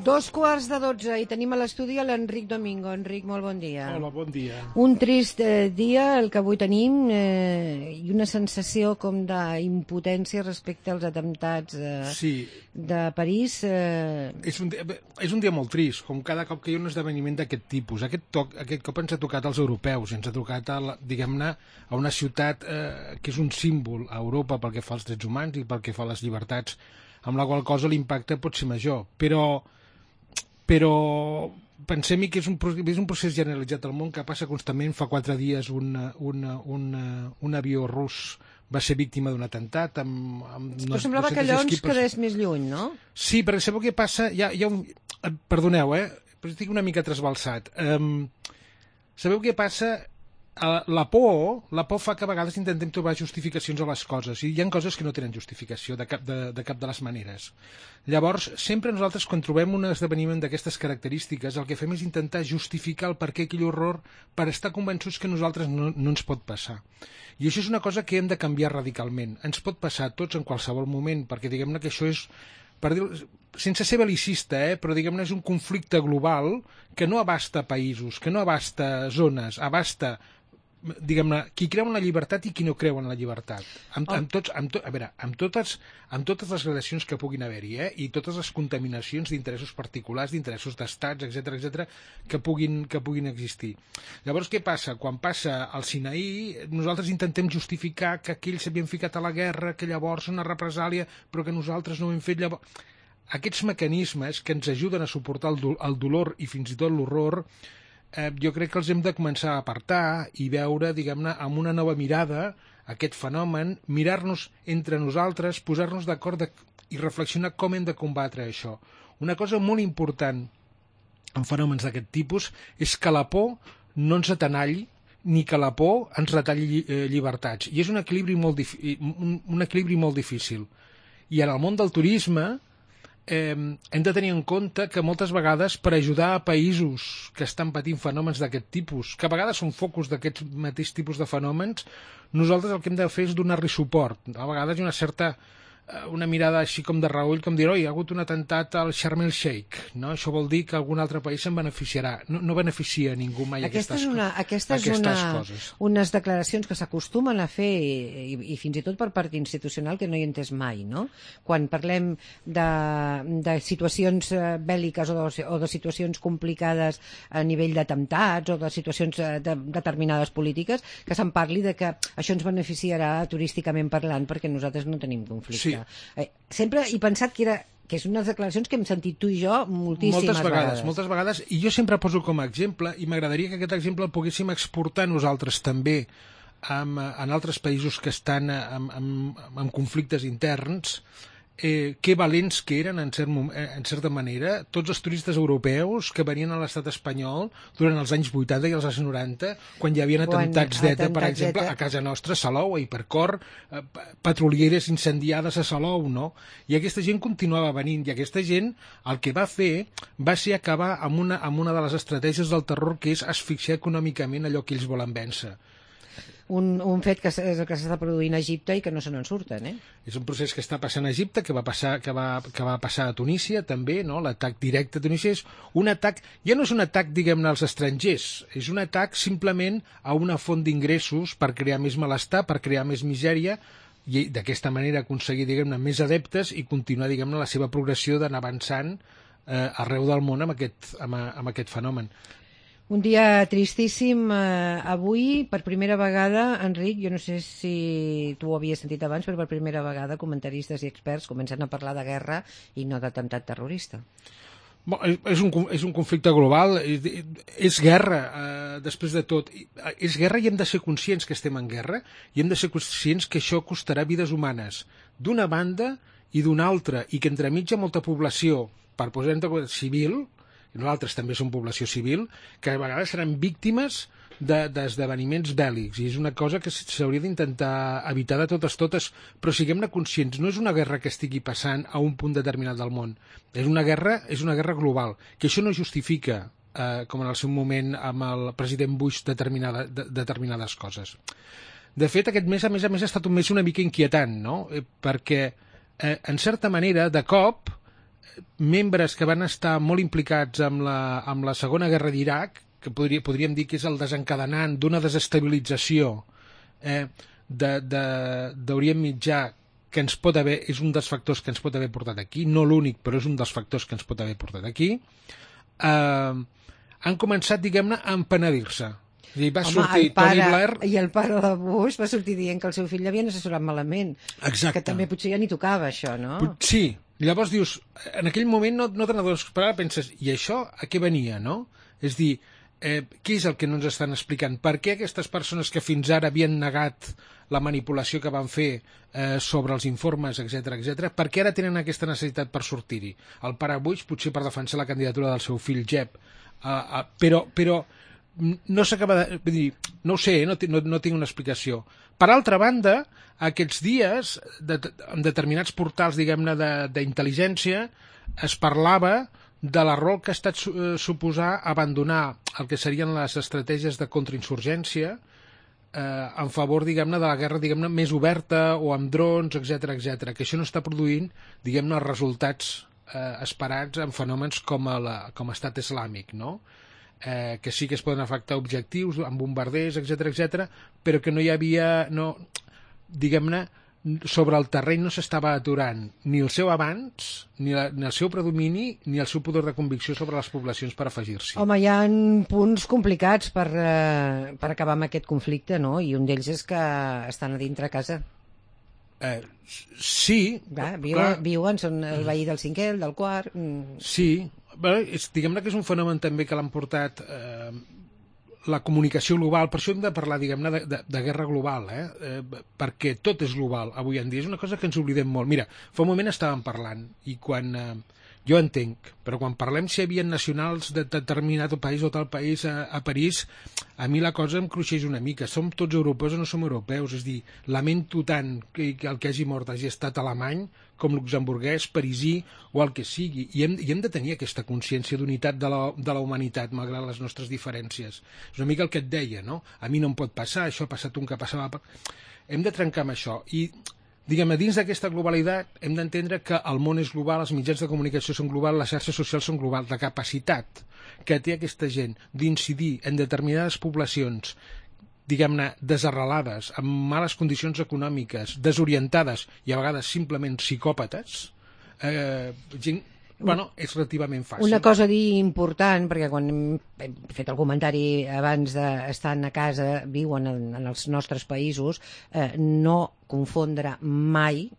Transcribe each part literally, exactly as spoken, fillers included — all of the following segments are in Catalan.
Dos quarts de dotze i tenim a l'estudi l'Enric Domingo. Enric, molt bon dia. Hola, bon dia. Un trist eh, dia el que avui tenim eh, i una sensació com d'impotència respecte als atemptats eh, sí. de París. Eh... És, un dia, és un dia molt trist, com cada cop que hi ha un esdeveniment d'aquest tipus. Aquest, toc, aquest cop ens ha tocat als europeus, ens ha tocat, diguem-ne, a una ciutat eh, que és un símbol a Europa pel que fa als drets humans i pel que fa a les llibertats, amb la qual cosa l'impacte pot ser major. Però... però pensem-hi que és un, és un procés generalitzat al món que passa constantment. Fa quatre dies un, un, un, un avió rus va ser víctima d'un atemptat amb, amb però semblava que allò ens quedés més lluny, no? Sí, perquè sabeu què passa? Hi ha, hi ha un... Perdoneu, eh? Però estic una mica trasbalsat. Um, sabeu què passa? La por, la por fa que a vegades intentem trobar justificacions a les coses i hi ha coses que no tenen justificació de cap de, de cap de les maneres. Llavors, sempre nosaltres quan trobem un esdeveniment d'aquestes característiques el que fem és intentar justificar el per què aquell horror per estar convençuts que a nosaltres no, no ens pot passar. I això és una cosa que hem de canviar radicalment. Ens pot passar a tots en qualsevol moment, perquè diguem-ne que això és, per dir, sense ser belicista, eh, però diguem-ne és un conflicte global que no abasta països, que no abasta zones, abasta diguem-ne, qui creu en la llibertat i qui no creu en la llibertat. Amb, amb, tots, amb, to, a veure, amb, totes, amb totes les gradacions que puguin haver-hi, eh? I totes les contaminacions d'interessos particulars, d'interessos d'estats, etcètera, etcètera, que puguin, que puguin existir. Llavors, què passa? Quan passa al Sinaí, nosaltres intentem justificar que aquells s'havien ficat a la guerra, que llavors una represàlia, però que nosaltres no ho hem fet llavors. Aquests mecanismes que ens ajuden a suportar el, do, el dolor i fins i tot l'horror, Eh, jo crec que els hem de començar a apartar i veure, diguem-ne, amb una nova mirada aquest fenomen, mirar-nos entre nosaltres, posar-nos d'acord de, i reflexionar com hem de combatre això. Una cosa molt important en fenòmens d'aquest tipus és que la por no ens atenalli ni que la por ens retalli eh, llibertats. I és un equilibri molt, un, un equilibri molt difícil. I en el món del turisme Eh, hem de tenir en compte que moltes vegades per ajudar a països que estan patint fenòmens d'aquest tipus, que a vegades són focus d'aquests mateix tipus de fenòmens, nosaltres el que hem de fer és donar-li suport. A vegades hi ha una certa una mirada així com de reüll, com dir, oi, hi ha hagut un atemptat al Sharm el Sheikh, no? Això vol dir que algun altre país se'n beneficiarà. No, no beneficia ningú mai aquesta aquestes, és una, aquesta és aquestes una, coses. Unes declaracions que s'acostumen a fer i, i fins i tot per part institucional que no hi he entès mai, no? Quan parlem de, de situacions bèl·liques o de, o de situacions complicades a nivell d'atemptats o de situacions de, determinades polítiques, que se'n parli de que això ens beneficiarà turísticament parlant perquè nosaltres no tenim conflicte. Sí. Eh, sempre he pensat que era que és unes declaracions que hem sentit tu i jo moltíssimes moltes vegades, vegades. Moltes vegades, i jo sempre poso com a exemple, i m'agradaria que aquest exemple el poguéssim exportar nosaltres també en, en altres països que estan en, en, en conflictes interns, eh, que valents que eren en, cert, en certa manera tots els turistes europeus que venien a l'estat espanyol durant els anys vuitanta i els anys noranta, quan hi havia atemptats d'ETA, per exemple, a casa nostra, a Salou, a Hipercor, eh, petrolieres incendiades a Salou, no? I aquesta gent continuava venint, i aquesta gent el que va fer va ser acabar amb una, amb una de les estratègies del terror, que és asfixiar econòmicament allò que ells volen vèncer. Un, un fet que és el que s'està produint a Egipte i que no se n'en surten, eh? És un procés que està passant a Egipte, que va passar, que va, que va passar a Tunísia també, no? L'atac directe a Tunísia és un atac, ja no és un atac, diguem-ne, als estrangers, és un atac simplement a una font d'ingressos per crear més malestar, per crear més misèria, i d'aquesta manera aconseguir, diguem-ne, més adeptes i continuar, diguem-ne, la seva progressió d'anar avançant eh, arreu del món amb aquest, amb, amb aquest fenomen. Un dia tristíssim eh, avui, per primera vegada, Enric, jo no sé si tu ho havies sentit abans, però per primera vegada comentaristes i experts comencen a parlar de guerra i no d'atemptat terrorista. Bon, és, un, és un conflicte global, és guerra, eh, després de tot. És guerra i hem de ser conscients que estem en guerra i hem de ser conscients que això costarà vides humanes d'una banda i d'una altra, i que entremig hi ha molta població, per posar-ne civil, i nosaltres també som població civil, que a vegades seran víctimes d'esdeveniments de, bèl·lics, i és una cosa que s'hauria d'intentar evitar de totes totes, però siguem-ne conscients, no és una guerra que estigui passant a un punt determinat del món, és una guerra, és una guerra global, que això no justifica, eh, com en el seu moment amb el president Bush, determinada, de, determinades coses. De fet, aquest mes, a més a més, ha estat un mes una mica inquietant, no? Eh, perquè, eh, en certa manera, de cop, membres que van estar molt implicats amb la, amb la Segona Guerra d'Iraq, que podria, podríem dir que és el desencadenant d'una desestabilització eh, d'Orient Mitjà, que ens pot haver, és un dels factors que ens pot haver portat aquí, no l'únic, però és un dels factors que ens pot haver portat aquí, eh, han començat, diguem-ne, a empenedir-se. I va Home, sortir pare, Tony Blair... I el pare de Bush va sortir dient que el seu fill l'havien assessorat malament. Exacte. Que també potser ja ni tocava, això, no? Sí. Llavors dius, en aquell moment no, no te n'adones, però ara penses, i això a què venia, no? És dir, eh, què és el que no ens estan explicant? Per què aquestes persones que fins ara havien negat la manipulació que van fer eh, sobre els informes, etcètera, etcètera, per què ara tenen aquesta necessitat per sortir-hi? El pare Bush potser per defensar la candidatura del seu fill Jeb, uh, uh, però, però no s'acaba de... Vull dir, no ho sé, no, no, no tinc una explicació. Per altra banda, aquests dies, de, en determinats portals, diguem-ne, d'intel·ligència, es parlava de l'error que ha estat suposar abandonar el que serien les estratègies de contrainsurgència eh, en favor, diguem-ne, de la guerra, diguem-ne, més oberta o amb drons, etcètera, etcètera, que això no està produint, diguem-ne, els resultats eh, esperats en fenòmens com, a la, com estat islàmic, no? Eh, que sí que es poden afectar objectius amb bombarders, etcètera, etcètera, però que no hi havia, no, diguem-ne, sobre el terreny no s'estava aturant ni el seu avanç, ni, la, ni el seu predomini, ni el seu poder de convicció sobre les poblacions per afegir-s'hi. Home, hi ha punts complicats per, eh, per acabar amb aquest conflicte, no? I un d'ells és que estan a dintre a casa. Eh, sí. Clar, viuen, viuen, són el veí del cinquè, el del quart... Mm. Sí, bé, és, diguem-ne que és un fenomen també que l'han portat eh, la comunicació global, per això hem de parlar, diguem-ne, de, de, de guerra global, eh? Eh, perquè tot és global avui en dia, és una cosa que ens oblidem molt. Mira, fa un moment estàvem parlant, i quan... Eh, jo entenc, però quan parlem si hi havia nacionals de determinat país o tal país a, a París, a mi la cosa em cruixeix una mica. Som tots europeus o no som europeus? És dir, lamento tant que, que el que hagi mort hagi estat alemany, com luxemburguès, parisí o el que sigui. I hem, i hem de tenir aquesta consciència d'unitat de, la, de la humanitat, malgrat les nostres diferències. És una mica el que et deia, no? A mi no em pot passar, això ha passat un que passava... Per... Hem de trencar amb això. I... Diguem-ne, dins d'aquesta globalitat hem d'entendre que el món és global, els mitjans de comunicació són globals, les xarxes socials són globals. La capacitat que té aquesta gent d'incidir en determinades poblacions, diguem-ne, desarrelades, amb males condicions econòmiques, desorientades i a vegades simplement psicòpates, eh, gent... Bueno, és relativament fàcil. Una cosa a dir important, perquè quan hem fet el comentari abans d'estar a casa, viuen en, en els nostres països, eh, no confondre mai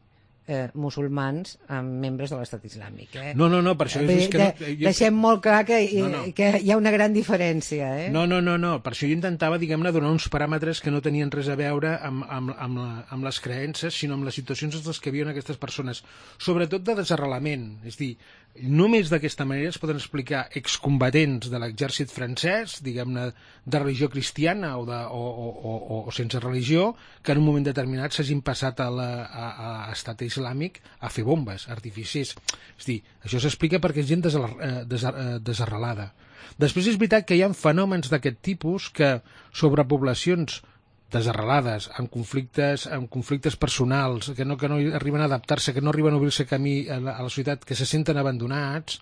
eh, musulmans amb membres de l'estat islàmic. Eh? No, no, no, per això és, és que... De, no, jo... Deixem molt clar que, no, no. que hi ha una gran diferència. Eh? No, no, no, no, per això jo intentava, diguem-ne, donar uns paràmetres que no tenien res a veure amb, amb, amb, la, amb les creences, sinó amb les situacions en les que viuen aquestes persones, sobretot de desarrelament. És dir, només d'aquesta manera es poden explicar excombatents de l'exèrcit francès, diguem-ne, de religió cristiana o, de, o, o, o, o sense religió, que en un moment determinat s'hagin passat a l'estat islàmic a fer bombes, artificis. És dir, això s'explica perquè és gent desarrelada. Després és veritat que hi ha fenòmens d'aquest tipus que sobre poblacions desarrelades, amb conflictes, amb conflictes personals, que no, que no arriben a adaptar-se, que no arriben a obrir-se camí a la, a la societat, que se senten abandonats,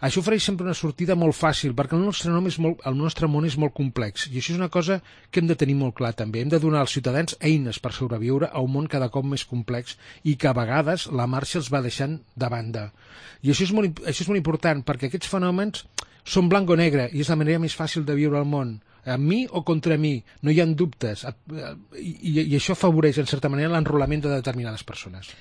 això ofereix sempre una sortida molt fàcil, perquè el nostre, nom és molt, el nostre món és molt complex, i això és una cosa que hem de tenir molt clar també. Hem de donar als ciutadans eines per sobreviure a un món cada cop més complex i que a vegades la marxa els va deixant de banda. I això és molt, això és molt important, perquè aquests fenòmens són blanc o negre, i és la manera més fàcil de viure al món. Amb mi o contra mi, no hi ha dubtes, i, i això afavoreix en certa manera l'enrolament de determinades persones.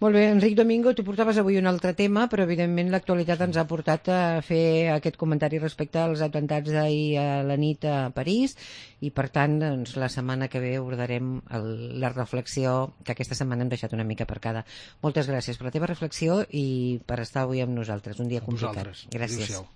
Molt bé, Enric Domingo, tu portaves avui un altre tema, però evidentment l'actualitat ens ha portat a fer aquest comentari respecte als atemptats d'ahir a la nit a París, i per tant, doncs, la setmana que ve abordarem el, la reflexió que aquesta setmana hem deixat una mica aparcada. Moltes gràcies per la teva reflexió i per estar avui amb nosaltres, un dia complicat. Vosaltres. Gràcies. Adéu-siau.